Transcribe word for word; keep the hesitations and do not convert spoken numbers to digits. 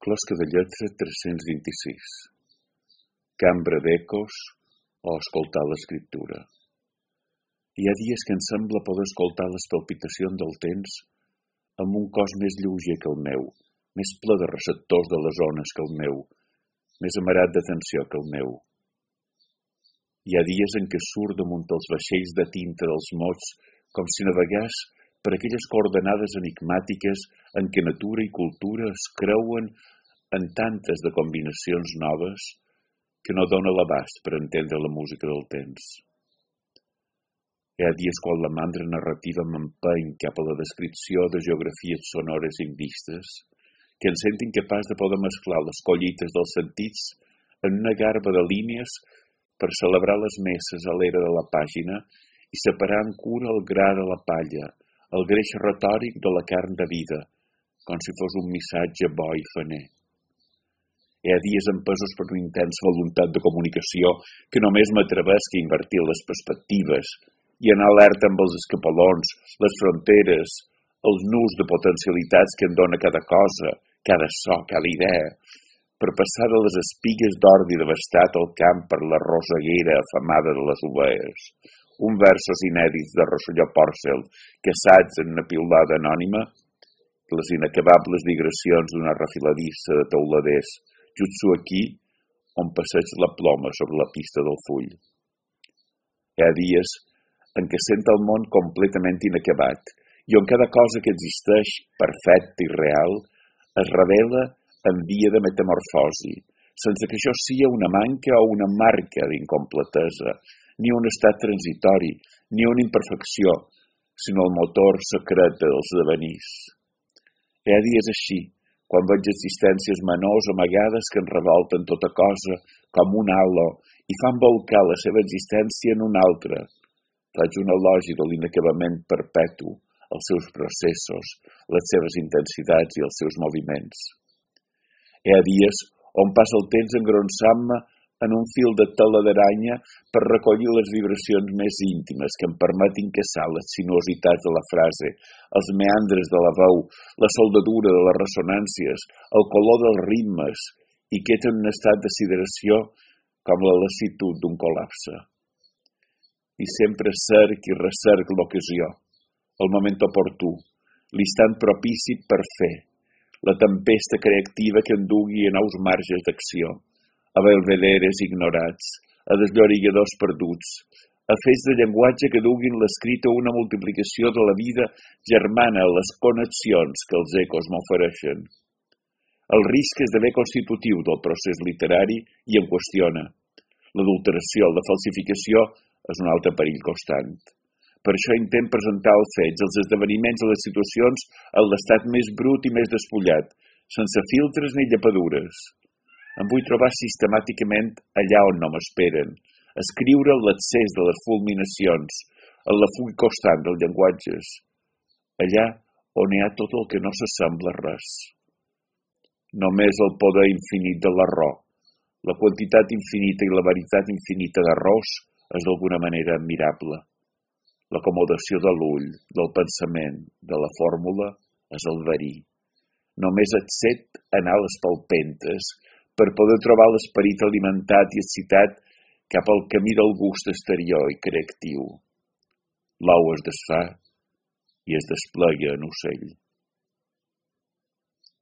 Closca de lletra tres-cents vint-i-sis. Cambra d'ecos o escoltar l'escriptura. Hi ha dies que em sembla poder escoltar les palpitacions del temps amb un cos més lleuger que el meu, més ple de receptors de les ones que el meu, més amarat d'atenció que el meu. Hi ha dies en què surt damunt els vaixells de tinta dels mots com si navegués per aquelles coordenades enigmàtiques en què natura i cultura es creuen en tantes de combinacions noves que no dóna l'abast per entendre la música del temps. Hi ha dies quan la mandra narrativa m'empeny cap a la descripció de geografies sonores invistes, que em sento incapaç de poder mesclar les collites dels sentits en una garba de línies per celebrar les messes a l'era de la pàgina i separar amb cura el gra de la palla, el greix retòric de la carn de vida, com si fos un missatge bo i faner. Hi ha dies empesos per una intensa voluntat de comunicació que només m'atrevesc a invertir les perspectives i anar alerta amb els escapolons, les fronteres, els nus de potencialitats que em dóna cada cosa, cada so, cada idea, per passar de les espigues d'ordi devastat al camp per la roseguera afamada de les ovelles. Un versos inèdits de Rosselló Pòrcel, caçats en una piulada anònima, les inacabables digressions d'una refiladissa de teuladers, jutsu aquí, on passeig la ploma sobre la pista del full. Hi ha dies en què sent el món completament inacabat i on cada cosa que existeix, perfecta i real, es revela en via de metamorfosi, sense que això sia una manca o una marca d'incompletesa, ni un estat transitori, ni una imperfecció, sinó el motor secret dels devenirs. Hi ha dies així, quan veig existències menors amagades que en revolten tota cosa com un halo i fan volcar la seva existència en una altra. Faig un elogi de l'inacabament perpetu, els seus processos, les seves intensitats i els seus moviments. Hi ha dies on passa el temps engronsant-me en un fil de tela d'aranya per recollir les vibracions més íntimes que em permetin caçar les sinuositats de la frase, els meandres de la veu, la soldadura de les ressonàncies, el color dels ritmes i queda en un estat de sideració com la lassitud d'un col·lapse. I sempre cerc i recerc l'ocasió, el moment oportú, l'instant propici per fer, la tempesta creativa que endugui a nous marges d'acció, a belvederes ignorats, a desllorigadors perduts, a fets de llenguatge que duguin l'escrit a una multiplicació de la vida germana a les connexions que els ecos m'ofereixen. El risc esdevé constitutiu del procés literari i em qüestiona. L'adulteració, la falsificació és un altre perill constant. Per això intent presentar els fets, els esdeveniments i les situacions en l'estat més brut i més despullat, sense filtres ni llepadures. Em vull trobar sistemàticament allà on no m'esperen, escriure l'accés de les fulminacions, en la fuga constant dels llenguatges, allà on hi ha tot el que no s'assembla a res. Només el poder infinit de l'error, la quantitat infinita i la veritat infinita d'errors és d'alguna manera admirable. L'acomodació de l'ull, del pensament, de la fórmula, és el verí. Només et set anar a les palpentes per poder trobar l'esperit alimentat i excitat cap al camí del gust exterior i creatiu. L'ou es desfà i es desplega en ocell.